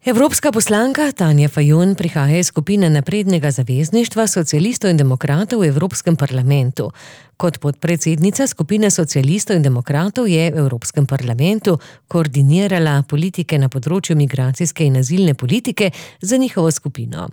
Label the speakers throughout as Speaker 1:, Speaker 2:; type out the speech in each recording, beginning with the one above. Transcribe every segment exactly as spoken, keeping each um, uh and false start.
Speaker 1: Evropska poslanka Tanja Fajon prihaja iz skupine Naprednega zavezništva socialistov in demokratov v Evropskem parlamentu. Kot podpredsednica skupine socialistov in demokratov je v Evropskem parlamentu koordinirala politike na področju migracijske in azilne politike za njihovo skupino.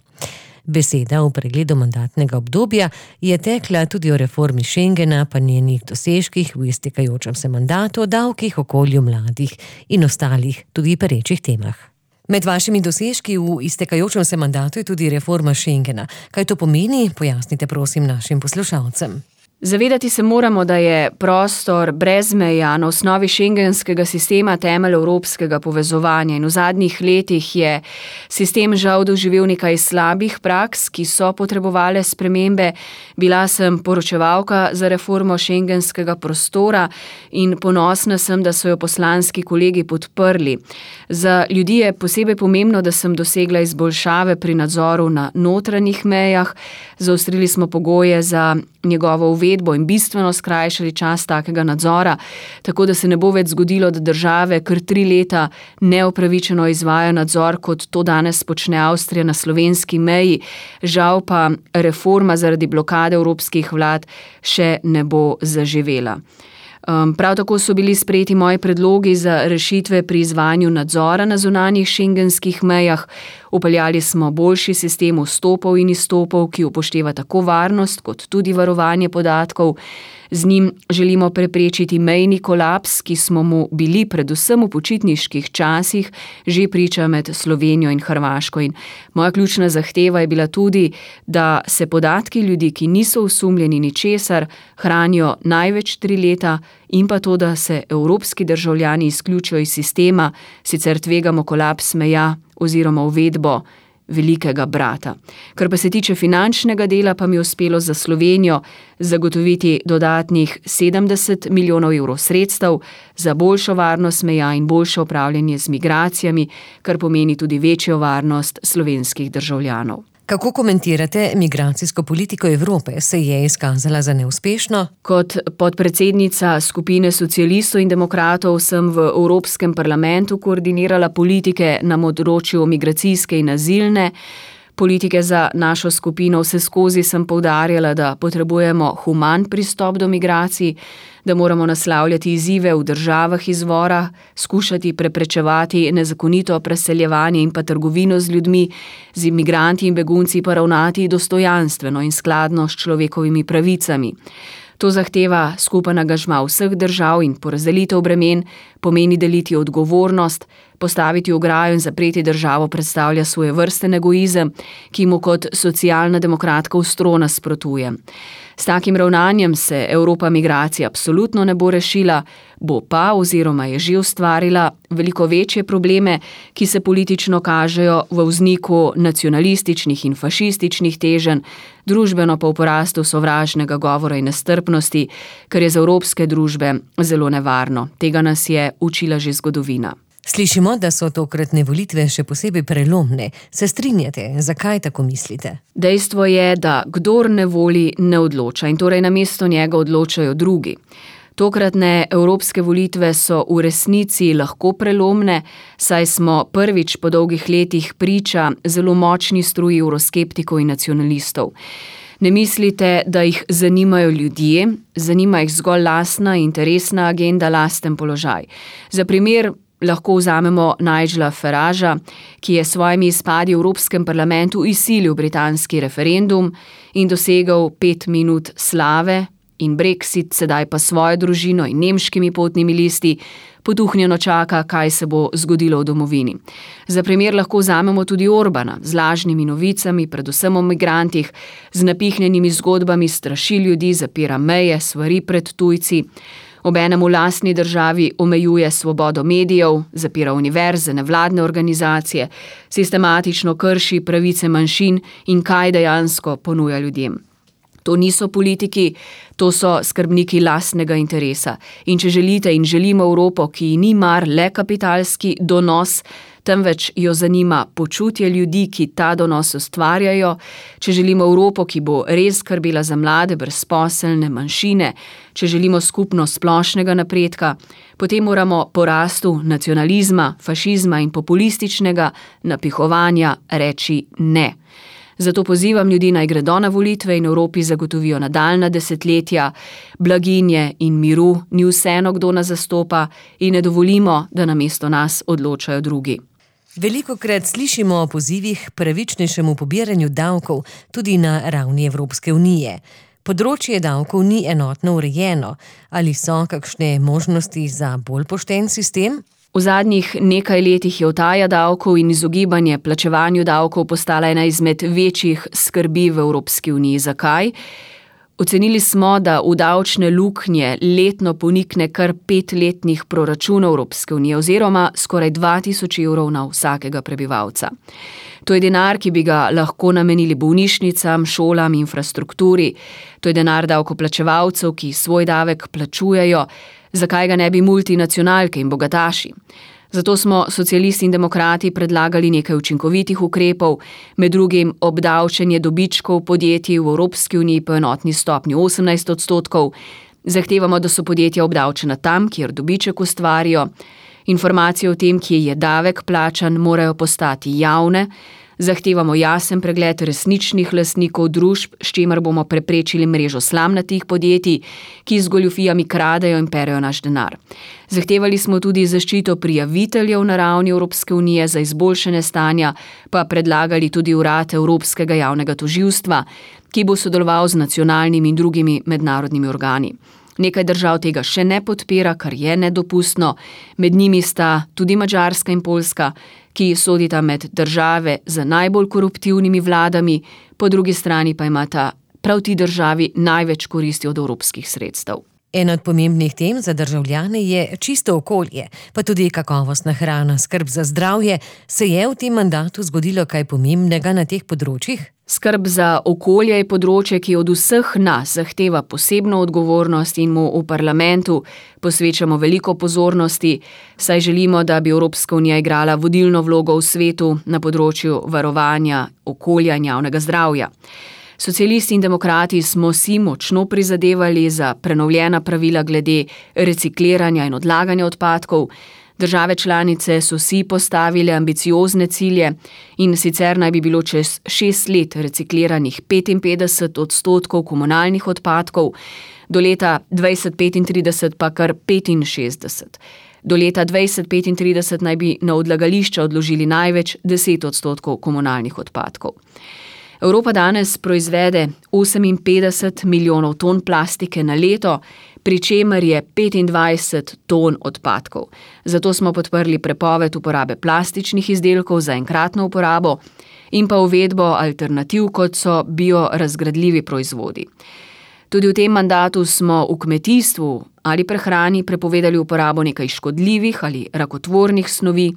Speaker 1: Beseda v pregledu mandatnega obdobja je tekla tudi o reformi Schengena, pa njenih dosežkih v iztekajočem se mandatu, davkih, okolju mladih in ostalih tudi perečih temah. Med vašimi dosežki v iztekajočem se mandatu je tudi reforma Schengena. Kaj to pomeni? Pojasnite prosim našim poslušalcem.
Speaker 2: Zavedati se moramo, da je prostor brez meja na osnovi šengenskega sistema temelj evropskega povezovanja in v zadnjih letih je sistem žal doživel nekaj slabih praks, ki so potrebovale spremembe. Bila sem poročevalka za reformo šengenskega prostora in ponosna sem, da so jo poslanski kolegi podprli. Za ljudi je posebej pomembno, da sem dosegla izboljšave pri nadzoru na notranjih mejah, zaostrili smo pogoje za njegovo uvedbo in bistveno skrajšali čas takega nadzora, tako da se ne bo več zgodilo, da države kar tri leta neopravičeno izvajajo nadzor, kot to danes počne Avstrija na slovenski meji. Žal pa reforma zaradi blokade evropskih vlad še ne bo zaživela. Um, prav tako so bili sprejeti moji predlogi za rešitve pri izvajanju nadzora na zunanjih šengenskih mejah. Upeljali smo boljši sistem vstopov in izstopov, ki upošteva tako varnost kot tudi varovanje podatkov. Z njim želimo preprečiti mejni kolaps, ki smo mu bili predvsem v počitniških časih že priča med Slovenijo in Hrvaško. In moja ključna zahteva je bila tudi, da se podatki ljudi, ki niso osumljeni ničesar, hranijo največ tri leta in pa to, da se evropski državljani izključijo iz sistema, sicer tvegamo kolaps meja oziroma uvedbo velikega brata. Kar pa se tiče finančnega dela, pa mi je uspelo za Slovenijo zagotoviti dodatnih sedemdeset milijonov evrov sredstev za boljšo varnost meja in boljše upravljanje z migracijami, kar pomeni tudi večjo varnost slovenskih državljanov.
Speaker 1: Kako komentirate migracijsko politiko Evrope? Se je izkazala za neuspešno?
Speaker 2: Kot podpredsednica skupine socialistov in demokratov sem v Evropskem parlamentu koordinirala politike na področju migracijske in azilne politike za našo skupino. Vseskozi sem poudarjala, da potrebujemo human pristop do migracij, da moramo naslavljati izzive v državah izvora, skušati preprečevati nezakonito preseljevanje in pa trgovino z ljudmi, z imigranti in begunci pa ravnati dostojanstveno in skladno s človekovimi pravicami. To zahteva skupen angažma vseh držav in porazdelitev bremen, pomeni deliti odgovornost, postaviti ograjo in zapreti državo predstavlja svojevrsten egoizem, ki mu kot socialna demokratka ostro nasprotuje. S takim ravnanjem se Evropa migracije absolutno ne bo rešila, bo pa oziroma je že ustvarila veliko večje probleme, ki se politično kažejo v vzniku nacionalističnih in fašističnih teženj, družbeno pa v porastu sovražnega govora in nestrpnosti, kar je za evropske družbe zelo nevarno. Tega nas je učila že zgodovina.
Speaker 1: Slišimo, da so tokratne volitve še posebej prelomne. Se strinjate? Zakaj tako mislite?
Speaker 2: Dejstvo je, da kdor ne voli, ne odloča in torej namesto njega odločajo drugi. Tokratne evropske volitve so v resnici lahko prelomne, saj smo prvič po dolgih letih priča zelo močni struji evroskeptikov in nacionalistov. Ne mislite, da jih zanimajo ljudje, zanima jih zgolj lastna interesna agenda, lasten položaj. Za primer lahko vzamemo Nigela Faragea, ki je s svojimi izpadi v Evropskem parlamentu izsilil britanski referendum in dosegel pet minut slave in Brexit, sedaj pa svojo družino in nemškimi potnimi listi potuhnjeno čaka, kaj se bo zgodilo v domovini. Za primer lahko vzamemo tudi Orbana z lažnimi novicami, predvsem o migrantih, z napihnjenimi zgodbami straši ljudi, zapira meje, svari pred tujci. Obenem v lastni državi omejuje svobodo medijev, zapira univerze, nevladne organizacije, sistematično krši pravice manjšin in kaj dejansko ponuja ljudem. To niso politiki, to so skrbniki lastnega interesa. In če želite in želimo Evropo, ki ni mar le kapitalski donos, temveč jo zanima počutje ljudi, ki ta donos ustvarjajo, če želimo Evropo, ki bo res skrbela za mlade, brezposelne, manjšine, če želimo skupnost splošnega napredka, potem moramo porastu nacionalizma, fašizma in populističnega napihovanja reči ne. Zato pozivam ljudi, naj gredo na volitve in Evropi zagotovijo nadaljnja desetletja, blaginje in miru, ni vseeno, kdo nas zastopa, in ne dovolimo, da namesto nas odločajo drugi.
Speaker 1: Velikokrat slišimo o pozivih pravičnejšemu pobiranju davkov tudi na ravni Evropske unije. Področje davkov ni enotno urejeno. Ali so kakšne možnosti za bolj pošten sistem?
Speaker 2: V zadnjih nekaj letih je utaja davkov in izogibanje plačevanju davkov postala ena izmed večjih skrbi v Evropski uniji. Zakaj? Ocenili smo, da v davčne luknje letno ponikne kar petletnih proračunov Evropske unije oziroma skoraj dva tisoč evrov na vsakega prebivalca. To je denar, ki bi ga lahko namenili bolnišnicam, šolam, infrastrukturi. To je denar davkoplačevalcev, ki svoj davek plačujejo. Zakaj ga ne bi multinacionalke in bogataši? Zato smo socialisti in demokrati predlagali nekaj učinkovitih ukrepov, med drugim obdavčenje dobičkov podjetij v Evropski uniji po enotni stopnji osemnajst odstotkov. Zahtevamo, da so podjetja obdavčena tam, kjer dobiček ustvarijo. Informacije o tem, kje je davek plačan, morajo postati javne. Zahtevamo jasen pregled resničnih lastnikov družb, s čimer bomo preprečili mrežo slamnatih podjetij, ki z goljufijami kradejo in perejo naš denar. Zahtevali smo tudi zaščito prijaviteljev na ravni Evropske unije, za izboljšanje stanja pa predlagali tudi urad Evropskega javnega tožilstva, ki bo sodeloval z nacionalnimi in drugimi mednarodnimi organi. Nekaj držav tega še ne podpira, kar je nedopustno. Med njimi sta tudi Madžarska in Poljska, ki sodita med države z najbolj koruptivnimi vladami, po drugi strani pa imata prav ti državi največ koristi od evropskih sredstev.
Speaker 1: En od pomembnih tem za državljane je čisto okolje, pa tudi kakovostna hrana, skrb za zdravje. Se je v tem mandatu zgodilo kaj pomembnega na teh področjih?
Speaker 2: Skrb za okolje je področje, ki od vseh nas zahteva posebno odgovornost in mu v parlamentu posvečamo veliko pozornosti, saj želimo, da bi Evropska unija igrala vodilno vlogo v svetu na področju varovanja okolja in javnega zdravja. Socialisti in demokrati smo si močno prizadevali za prenovljena pravila glede recikliranja in odlaganja odpadkov. Države članice so si postavile ambiciozne cilje in sicer naj bi bilo čez šest let recikliranih petinpetdeset odstotkov komunalnih odpadkov, do leta dvajset petintrideset pa kar petinšestdeset. Do leta dvajset petintrideset naj bi na odlagališča odložili največ deset odstotkov komunalnih odpadkov. Evropa danes proizvede oseminpetdeset milijonov ton plastike na leto, pri čemer je petindvajset ton odpadkov. Zato smo podprli prepoved uporabe plastičnih izdelkov za enkratno uporabo in pa uvedbo alternativ, kot so biorazgradljivi proizvodi. Tudi v tem mandatu smo v kmetijstvu ali prehrani prepovedali uporabo nekaj škodljivih ali rakotvornih snovi,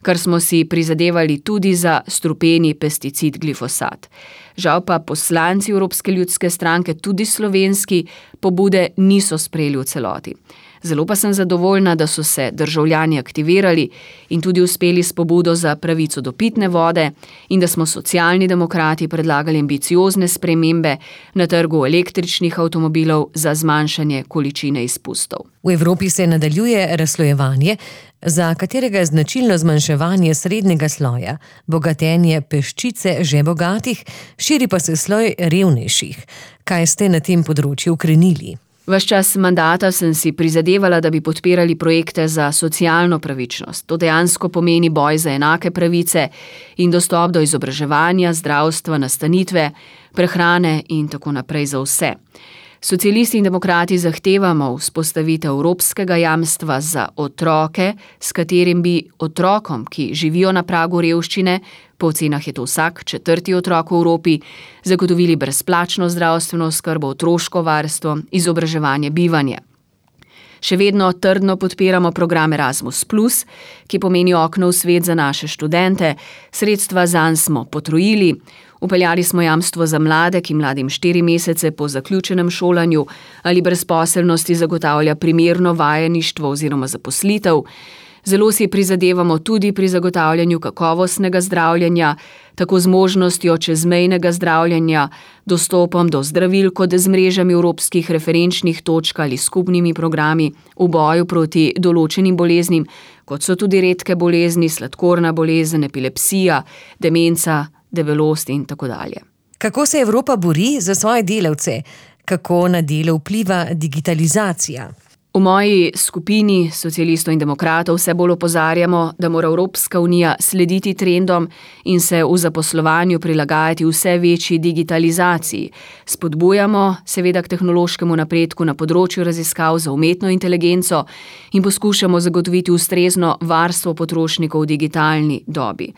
Speaker 2: kar smo si prizadevali tudi za strupeni pesticid glifosat. Žal pa poslanci Evropske ljudske stranke, tudi slovenski, pobude niso sprejeli v celoti. Zelo pa sem zadovoljna, da so se državljani aktivirali in tudi uspeli s pobudo za pravico do pitne vode in da smo socialni demokrati predlagali ambiciozne spremembe na trgu električnih avtomobilov za zmanjšanje količine izpustov.
Speaker 1: V Evropi se nadaljuje razslojevanje, za katerega je značilno zmanjševanje srednjega sloja, bogatenje peščice že bogatih, širi pa se sloj revnejših. Kaj ste na tem področju ukrenili?
Speaker 2: Ves čas mandata sem si prizadevala, da bi podpirali projekte za socialno pravičnost. To dejansko pomeni boj za enake pravice in dostop do izobraževanja, zdravstva, nastanitve, prehrane in tako naprej za vse. Socialisti in demokrati zahtevamo vzpostavitev evropskega jamstva za otroke, s katerim bi otrokom, ki živijo na pragu revščine, po ocenah je to vsak četrti otrok v Evropi, zagotovili brezplačno zdravstveno oskrbo, otroško varstvo, izobraževanje, bivanje. Še vedno trdno podpiramo program Erasmus plus, ki pomeni okno v svet za naše študente, sredstva zanj smo potrojili, upeljali smo jamstvo za mlade, ki mladim štiri mesece po zaključenem šolanju ali brezposelnosti zagotavlja primerno vajeništvo oziroma zaposlitev. Zelo si prizadevamo tudi pri zagotavljanju kakovostnega zdravljenja, tako z možnostjo čezmejnega zdravljenja, dostopom do zdravil kot z mrežami evropskih referenčnih točk ali skupnimi programi v boju proti določenim boleznim, kot so tudi redke bolezni, sladkorna bolezen, epilepsija, demenca, debelost in tako dalje.
Speaker 1: Kako se Evropa bori za svoje delavce? Kako na delo vpliva digitalizacija?
Speaker 2: V moji skupini socialistov in demokratov vse bolj opozarjamo, da mora Evropska unija slediti trendom in se v zaposlovanju prilagajati vse večji digitalizaciji. Spodbujamo seveda k tehnološkemu napredku na področju raziskav za umetno inteligenco in poskušamo zagotoviti ustrezno varstvo potrošnikov v digitalni dobi.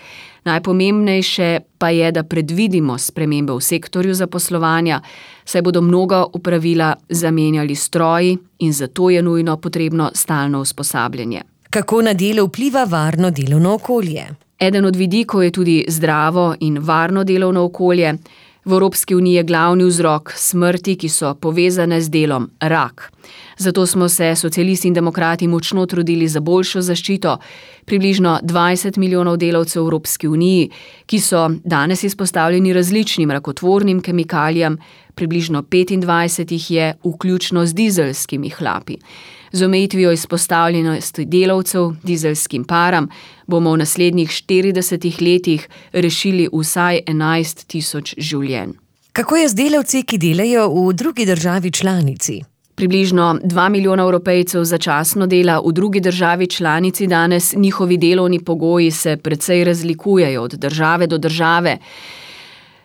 Speaker 2: Najpomembnejše pa je, da predvidimo spremembe v sektorju zaposlovanja, saj bodo mnoga opravila zamenjali stroji in zato je nujno potrebno stalno usposabljanje.
Speaker 1: Kako na delo vpliva varno delovno okolje?
Speaker 2: Eden od vidikov je tudi zdravo in varno delovno okolje. V Evropski uniji je glavni vzrok smrti, ki so povezane z delom, rak. Zato smo se socialisti in demokrati močno trudili za boljšo zaščito približno dvajset milijonov delavcev v Evropski uniji, ki so danes izpostavljeni različnim rakotvornim kemikalijam, približno petindvajset jih je, vključno z dizelskimi hlapi. Z omejitvijo izpostavljenosti delavcev dizelskim param bomo v naslednjih štiridesetih letih rešili vsaj enajst tisoč življenj.
Speaker 1: Kako je z delavci, ki delajo v drugi državi članici?
Speaker 2: Približno dva milijona Evropejcev začasno dela v drugi državi članici danes, njihovi delovni pogoji se precej razlikujejo od države do države.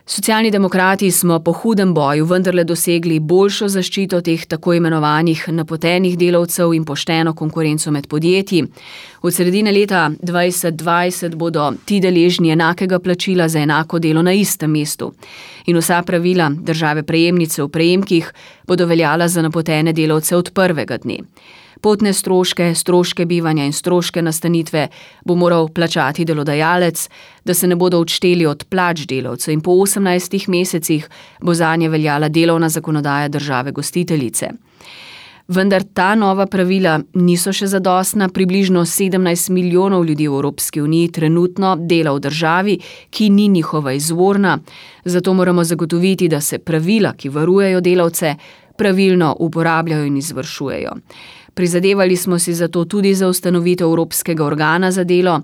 Speaker 2: Socialni demokrati smo po hudem boju vendarle dosegli boljšo zaščito teh tako imenovanih napotenih delavcev in pošteno konkurenco med podjetji. Od sredine leta dvajset dvajset bodo ti deležni enakega plačila za enako delo na istem mestu. In vsa pravila države prejemnice v prejemkih bodo veljala za napotene delavce od prvega dne. Potne stroške, stroške bivanja in stroške nastanitve bo moral plačati delodajalec, da se ne bodo odšteli od plač delavcev in po osemnajstih mesecih bo zanje veljala delovna zakonodaja države gostiteljice. Vendar ta nova pravila niso še zadostna, približno sedemnajst milijonov ljudi v Evropski uniji trenutno dela v državi, ki ni njihova izvorna, zato moramo zagotoviti, da se pravila, ki varujejo delavce, pravilno uporabljajo in izvršujejo. Prizadevali smo si zato tudi za ustanovitev Evropskega organa za delo.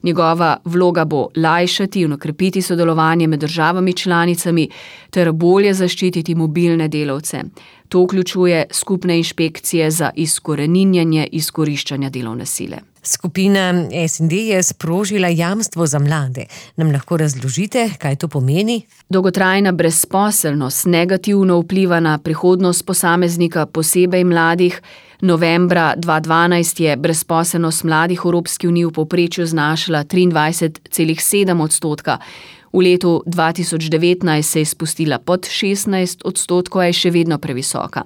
Speaker 2: Njegova vloga bo lajšati in okrepiti sodelovanje med državami članicami ter bolje zaščititi mobilne delavce. To vključuje skupne inšpekcije za izkoreninjanje izkoriščanja delovne sile.
Speaker 1: Skupina S in D je sprožila jamstvo za mlade. Nam lahko razložite, kaj to pomeni?
Speaker 2: Dolgotrajna brezposelnost negativno vpliva na prihodnost posameznika, posebej mladih. Novembra dva tisoč dvanajst je brezposelnost mladih v Evropski uniji v povprečju znašala triindvajset celih sedem odstotka. V letu dva tisoč devetnajst se je spustila pod šestnajst odstotkov, a je še vedno previsoka.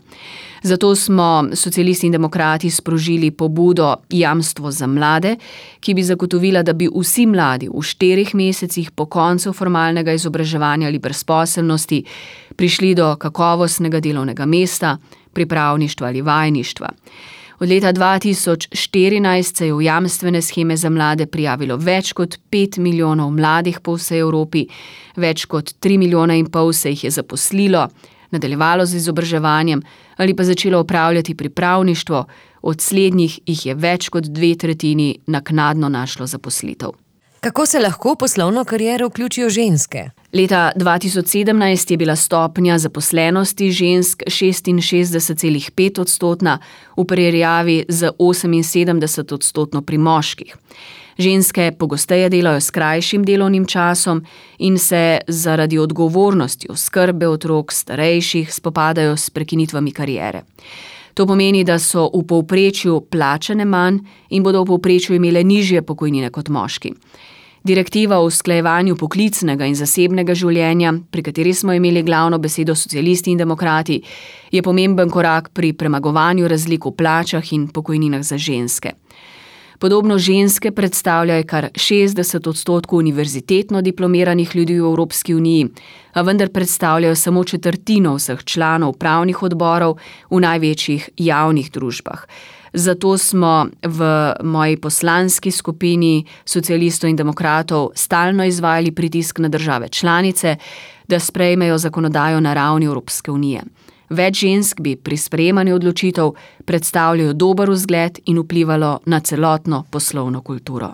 Speaker 2: Zato smo socialisti in demokrati sprožili pobudo Jamstvo za mlade, ki bi zagotovila, da bi vsi mladi v štirih mesecih po koncu formalnega izobraževanja ali brezposelnosti prišli do kakovostnega delovnega mesta, pripravništva ali vajeništva. Od leta dva tisoč štirinajst se je v jamstvene sheme za mlade prijavilo več kot pet milijonov mladih po vsej Evropi, več kot tri milijona in pol se jih je zaposlilo, nadaljevalo z izobraževanjem ali pa začelo opravljati pripravništvo, od slednjih jih je več kot dve tretjini naknadno našlo zaposlitev.
Speaker 1: Kako se lahko v poslovno kariero vključijo ženske?
Speaker 2: Leta dva tisoč sedemnajst je bila stopnja zaposlenosti žensk šestinšestdeset celih pet odstotna, v primerjavi z oseminsedemdeset odstotno pri moških. Ženske pogosteje delajo s krajšim delovnim časom in se zaradi odgovornosti oskrbe otrok starejših spopadajo s prekinitvami kariere. To pomeni, da so v povprečju plačane manj in bodo v povprečju imele nižje pokojnine kot moški. Direktiva o usklajevanju poklicnega in zasebnega življenja, pri kateri smo imeli glavno besedo socialisti in demokrati, je pomemben korak pri premagovanju razlik v plačah in pokojninah za ženske. Podobno ženske predstavljajo kar šestdeset odstotkov univerzitetno diplomiranih ljudi v Evropski uniji, a vendar predstavljajo samo četrtino vseh članov upravnih odborov v največjih javnih družbah. Zato smo v moji poslanski skupini socialistov in demokratov stalno izvajali pritisk na države članice, da sprejmejo zakonodajo na ravni Evropske unije. Več žensk bi pri sprejemanju odločitev predstavljalo dober vzgled in vplivalo na celotno poslovno kulturo.